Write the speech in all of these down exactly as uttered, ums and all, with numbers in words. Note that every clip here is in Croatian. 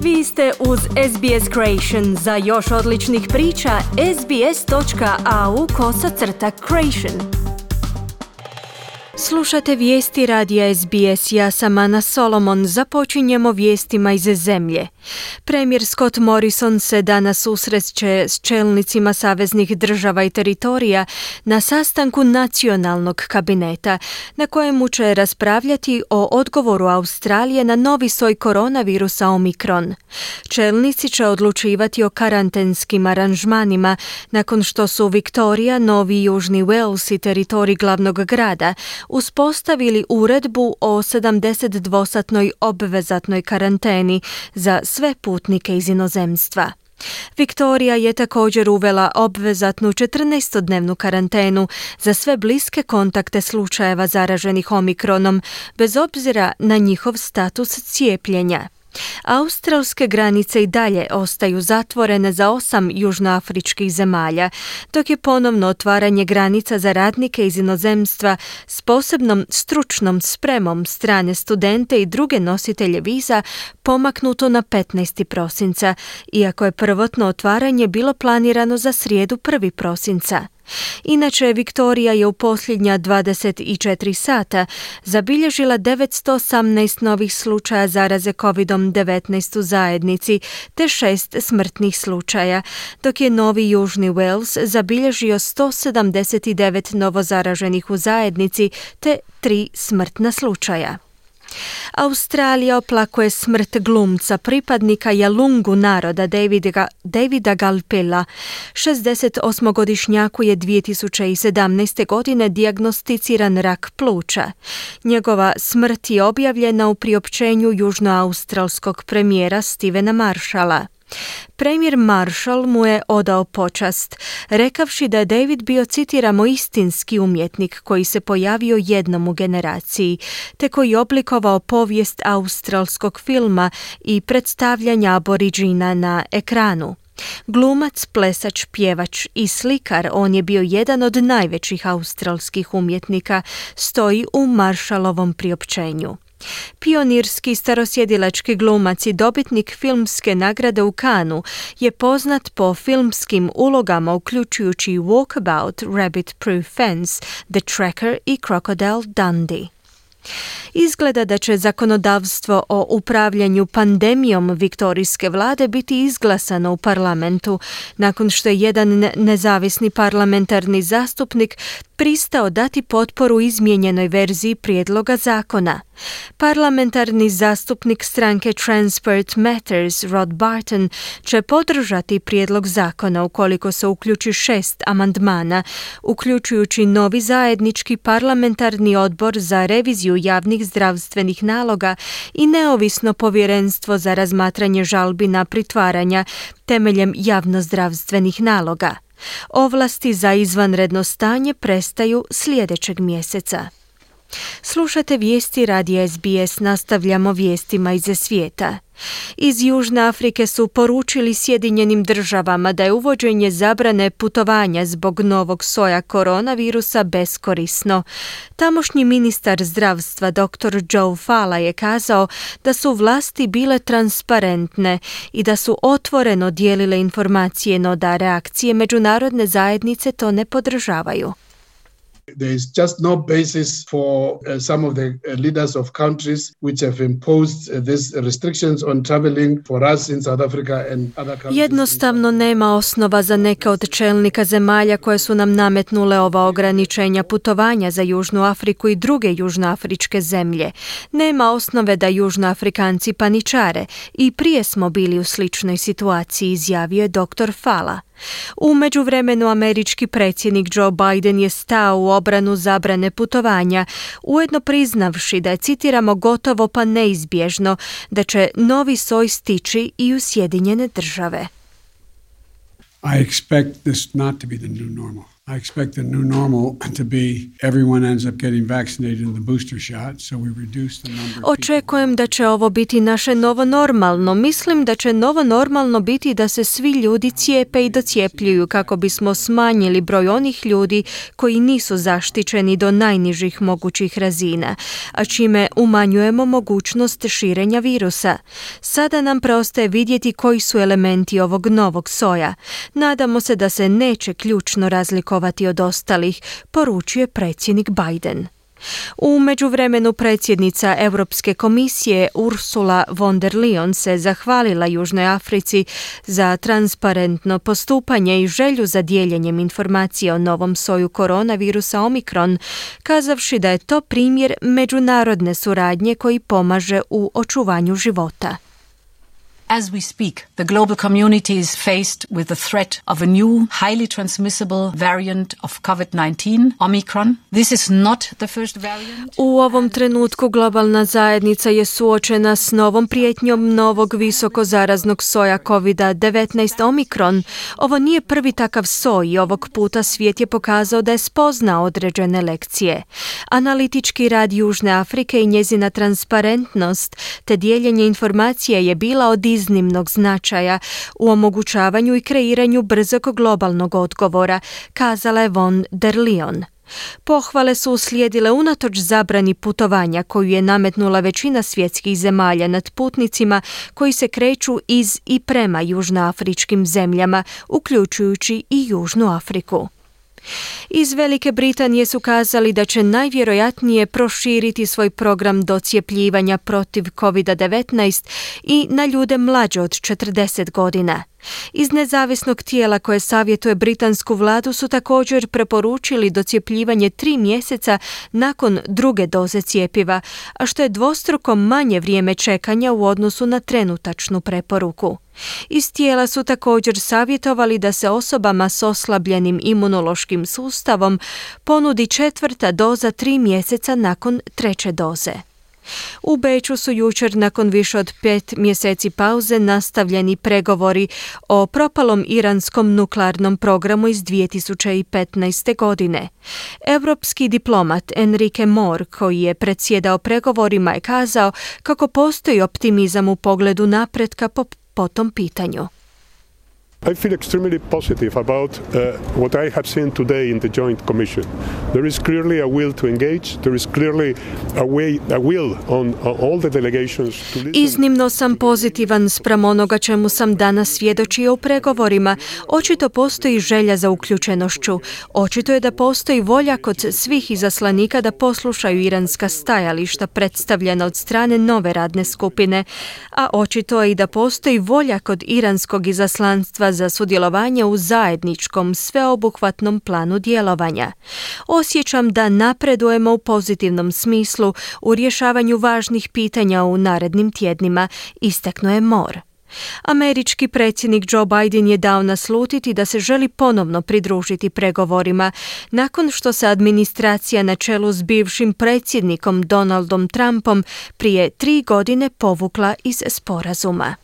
Vi ste uz S B S Creation. Za još odličnih priča, sbs.au kosacrta creation. Slušate vijesti radija S B S, ja sam Ana Solomon. Započinjemo vijestima iz zemlje. Premijer Scott Morrison se danas susreće s čelnicima saveznih država i teritorija na sastanku nacionalnog kabineta, na kojemu će raspravljati o odgovoru Australije na novi soj koronavirusa Omikron. Čelnici će odlučivati o karantenskim aranžmanima nakon što su Viktorija, Novi Južni Wales i teritorij glavnog grada uspostavili uredbu o sedamdesetdvosatnoj obvezatnoj karanteni za sve putnike iz inozemstva. Viktorija je također uvela obvezatnu četrnaestodnevnu karantenu za sve bliske kontakte slučajeva zaraženih Omikronom, bez obzira na njihov status cijepljenja. Australske granice i dalje ostaju zatvorene za osam južnoafričkih zemalja, dok je ponovno otvaranje granica za radnike iz inozemstva s posebnom stručnom spremom strane studente i druge nositelje viza pomaknuto na petnaesti prosinca, iako je prvotno otvaranje bilo planirano za srijedu prvog prosinca. Inače, Viktorija je u posljednja dvadeset četiri sata zabilježila devetsto osamnaest novih slučaja zaraze kovid devetnaest u zajednici te šest smrtnih slučaja, dok je Novi Južni Wales zabilježio sto sedamdeset devet novozaraženih u zajednici te tri smrtna slučaja. Australija oplakuje smrt glumca, pripadnika Yalungu naroda Davida, Davida Galpela. šezdesetosmogodišnjaku je dvije tisuće sedamnaeste. godine dijagnosticiran rak pluća. Njegova smrt je objavljena u priopćenju južnoaustralskog premijera Stevena Marshalla. Premijer Marshall mu je odao počast, rekavši da je David bio, citiramo, istinski umjetnik koji se pojavio jednom u generaciji, te koji je oblikovao povijest australskog filma i predstavljanja aboriđina na ekranu. Glumac, plesač, pjevač i slikar, on je bio jedan od najvećih australskih umjetnika, stoji u Marshallovom priopćenju. Pionirski starosjedilački glumac i dobitnik filmske nagrade u Cannesu je poznat po filmskim ulogama uključujući Walkabout, Rabbit Proof Fence, The Tracker i Crocodile Dundee. Izgleda da će zakonodavstvo o upravljanju pandemijom viktorijske vlade biti izglasano u parlamentu, nakon što je jedan nezavisni parlamentarni zastupnik pristao dati potporu izmijenjenoj verziji prijedloga zakona. Parlamentarni zastupnik stranke Transport Matters, Rod Barton, će podržati prijedlog zakona ukoliko se uključi šest amandmana, uključujući novi zajednički parlamentarni odbor za reviziju javnih zdravstvenih naloga i neovisno povjerenstvo za razmatranje žalbi na pritvaranja temeljem javnozdravstvenih naloga. Ovlasti za izvanredno stanje prestaju sljedećeg mjeseca. Slušate vijesti radija S B S, nastavljamo vijestima iz svijeta. Iz Južne Afrike su poručili Sjedinjenim državama da je uvođenje zabrane putovanja zbog novog soja koronavirusa beskorisno. Tamošnji ministar zdravstva dr Joe Fala je kazao da su vlasti bile transparentne i da su otvoreno dijelile informacije, no da reakcije međunarodne zajednice to ne podržavaju. There is just no basis for uh, some of the uh, leaders of countries which have imposed uh, these restrictions on traveling for us in South Africa and other countries. Jednostavno nema osnova za neke od čelnika zemalja koje su nam nametnule ova ograničenja putovanja za Južnu Afriku i druge južnoafričke zemlje. Nema osnove da Južnoafrikanci paničare i prije smo bili u sličnoj situaciji, izjavio je dr Fala. U međuvremenu američki predsjednik Joe Biden je stao u obranu zabrane putovanja, ujedno priznavši da je, citiramo, gotovo pa neizbježno da će novi soj stići i u Sjedinjene države. I expect this not to be the new normal. I expect the new normal to be everyone ends up getting vaccinated in the booster shot, so we reduce the number of people. Očekujem da će ovo biti naše novo normalno. Mislim da će novo normalno biti da se svi ljudi cijepe i docijepljuju kako bismo smanjili broj onih ljudi koji nisu zaštićeni do najnižih mogućih razina, a čime umanjujemo mogućnost širenja virusa. Sada nam preostaje vidjeti koji su elementi ovog novog soja. Nadamo se da se neće ključno razlikovati od ostalih, poručuje predsjednik Biden. U međuvremenu predsjednica Europske komisije Ursula von der Leyen se zahvalila Južnoj Africi za transparentno postupanje i želju za dijeljenjem informacija o novom soju koronavirusa Omikron, kazavši da je to primjer međunarodne suradnje koji pomaže u očuvanju života. As we speak, the global community is faced with the threat of a new, highly transmissible variant of covid nineteen, Omicron. This is not the first variant. U ovom trenutku globalna zajednica je suočena s novom prijetnjom novog visoko zaraznog soja covid devetnaest Omicron. Ovo nije prvi takav soj i ovog puta svijet je pokazao da je spoznao određene lekcije. Analitički rad Južne Afrike i njezina transparentnost te dijeljenje informacija je bila od iznimnog značaja u omogućavanju i kreiranju brzog globalnog odgovora, kazala je von der Leyen. Pohvale su uslijedile unatoč zabrani putovanja koju je nametnula većina svjetskih zemalja nad putnicima koji se kreću iz i prema južnoafričkim zemljama, uključujući i Južnu Afriku. Iz Velike Britanije su kazali da će najvjerojatnije proširiti svoj program docijepljivanja protiv covid devetnaest i na ljude mlađe od četrdeset godina. Iz nezavisnog tijela koje savjetuje britansku vladu su također preporučili docijepljivanje tri mjeseca nakon druge doze cjepiva, a što je dvostruko manje vrijeme čekanja u odnosu na trenutačnu preporuku. Iz tijela su također savjetovali da se osobama s oslabljenim imunološkim sustavom ponudi četvrta doza tri mjeseca nakon treće doze. U Beču su jučer nakon više od pet mjeseci pauze nastavljeni pregovori o propalom iranskom nuklearnom programu iz dvije tisuće petnaeste. godine. Europski diplomat Enrique Mor, koji je predsjedao pregovorima, je kazao kako postoji optimizam u pogledu napretka po, po tom pitanju. I feel extremely positive about uh, what I have seen today in the Joint Commission. There is clearly a will to engage. There is clearly a way, a will on, on all the delegations to listen. Iznimno sam pozitivan spram onoga čemu sam danas svjedočio u pregovorima. Očito postoji želja za uključenošću. Očito je da postoji volja kod svih izaslanika da poslušaju iranska stajališta predstavljena od strane nove radne skupine, a očito je i da postoji volja kod iranskog izaslanstva za sudjelovanje u zajedničkom sveobuhvatnom planu djelovanja. Osjećam da napredujemo u pozitivnom smislu u rješavanju važnih pitanja u narednim tjednima, istaknuo je Mor. Američki predsjednik Joe Biden je dao naslutiti da se želi ponovno pridružiti pregovorima nakon što se administracija na čelu s bivšim predsjednikom Donaldom Trumpom prije tri godine povukla iz sporazuma.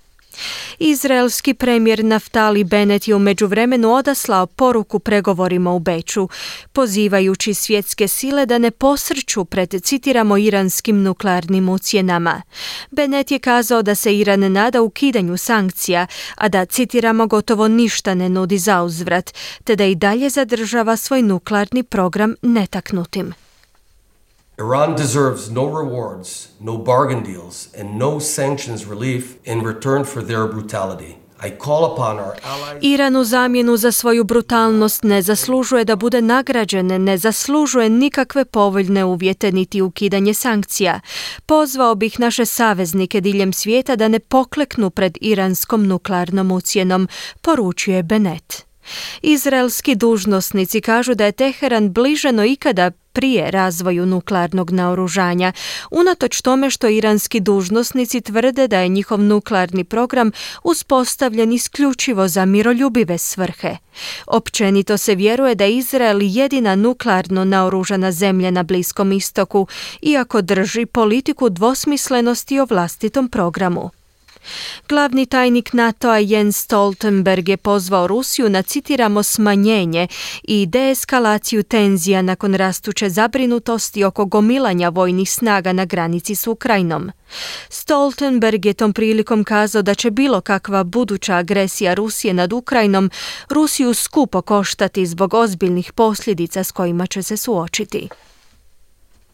Izraelski premijer Naftali Bennett je u međuvremenu odaslao poruku pregovorima u Beču, pozivajući svjetske sile da ne posrću pred, citiramo, iranskim nuklearnim ucjenama. Bennett je kazao da se Iran nada ukidanju sankcija, a da, citiramo, gotovo ništa ne nudi zauzvrat, te da i dalje zadržava svoj nuklearni program netaknutim. Iran deserves no rewards, no bargain deals, and no sanctions relief in return for their brutality. I call upon our allies... Iran u zamjenu za svoju brutalnost ne zaslužuje da bude nagrađen, ne zaslužuje nikakve povoljne uvjete niti ukidanje sankcija. Pozvao bih naše saveznike diljem svijeta da ne pokleknu pred iranskom nuklearnom ucjenom, poručuje Bennett. Izraelski dužnosnici kažu da je Teheran bliže no ikada prije razvoju nuklearnog naoružanja, unatoč tome što iranski dužnosnici tvrde da je njihov nuklearni program uspostavljen isključivo za miroljubive svrhe. Općenito se vjeruje da je Izrael jedina nuklearno naoružana zemlja na Bliskom istoku, iako drži politiku dvosmislenosti o vlastitom programu. Glavni tajnik NATO-a Jens Stoltenberg je pozvao Rusiju na, citiramo, smanjenje i deeskalaciju tenzija nakon rastuće zabrinutosti oko gomilanja vojnih snaga na granici s Ukrajinom. Stoltenberg je tom prilikom kazao da će bilo kakva buduća agresija Rusije nad Ukrajinom Rusiju skupo koštati zbog ozbiljnih posljedica s kojima će se suočiti.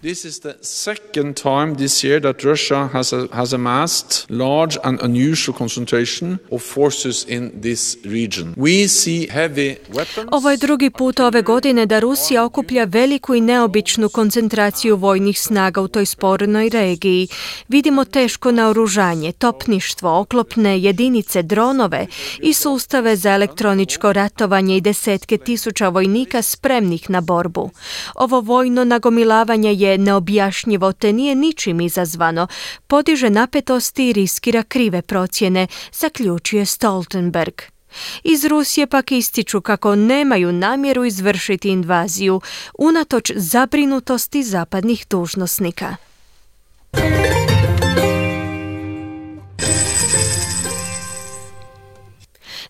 This is the second time this year that Russia has, a, has amassed large and unusual concentration of forces in this region. We see heavy weapons. Ovo je drugi put ove godine da Rusija okuplja veliku i neobičnu koncentraciju vojnih snaga u toj spornoj regiji. Vidimo teško naoružanje, topništvo, oklopne jedinice, dronove i sustave za elektroničko ratovanje i desetke tisuća vojnika spremnih na borbu. Ovo vojno nagomilavanje je neobjašnjivo te nije ničim izazvano, podiže napetosti i riskira krive procjene, zaključuje Stoltenberg. Iz Rusije pak ističu kako nemaju namjeru izvršiti invaziju, unatoč zabrinutosti zapadnih dužnosnika.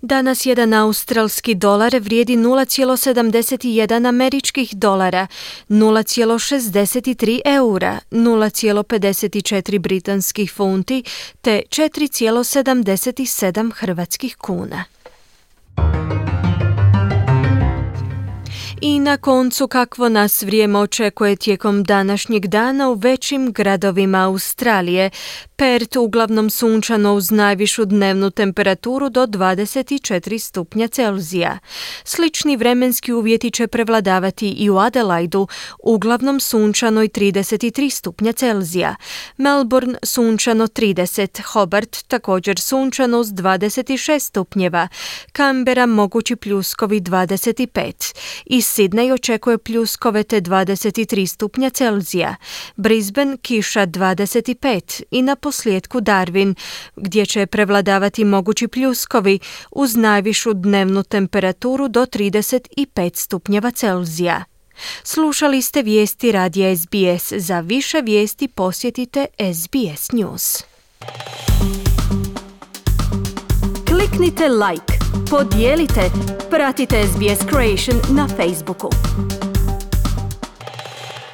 Danas jedan australski dolar vrijedi nula zarez sedamdeset jedan američkih dolara, nula zarez šezdeset tri eura, nula zarez pedeset četiri britanskih funti te četiri zarez sedamdeset sedam hrvatskih kuna. I na koncu kakvo nas vrijeme očekuje tijekom današnjeg dana u većim gradovima Australije. Perth uglavnom sunčano uz najvišu dnevnu temperaturu do dvadeset četiri stupnja Celzija. Slični vremenski uvjeti će prevladavati i u Adelaidu, uglavnom sunčano i trideset tri stupnja Celzija. Melbourne sunčano trideset, Hobart također sunčano uz dvadeset šest stupnjeva, Canberra mogući pljuskovi dvadeset pet i Sydney očekuje pljuskove te dvadeset tri stupnja Celzija, Brisbane kiša dvadeset pet i na posljedku Darwin, gdje će prevladavati mogući pljuskovi uz najvišu dnevnu temperaturu do trideset pet stupnjeva Celzija. Slušali ste vijesti radija S B S. Za više vijesti posjetite S B S News. Kliknite like, podijelite, pratite S B S Creation na Facebooku.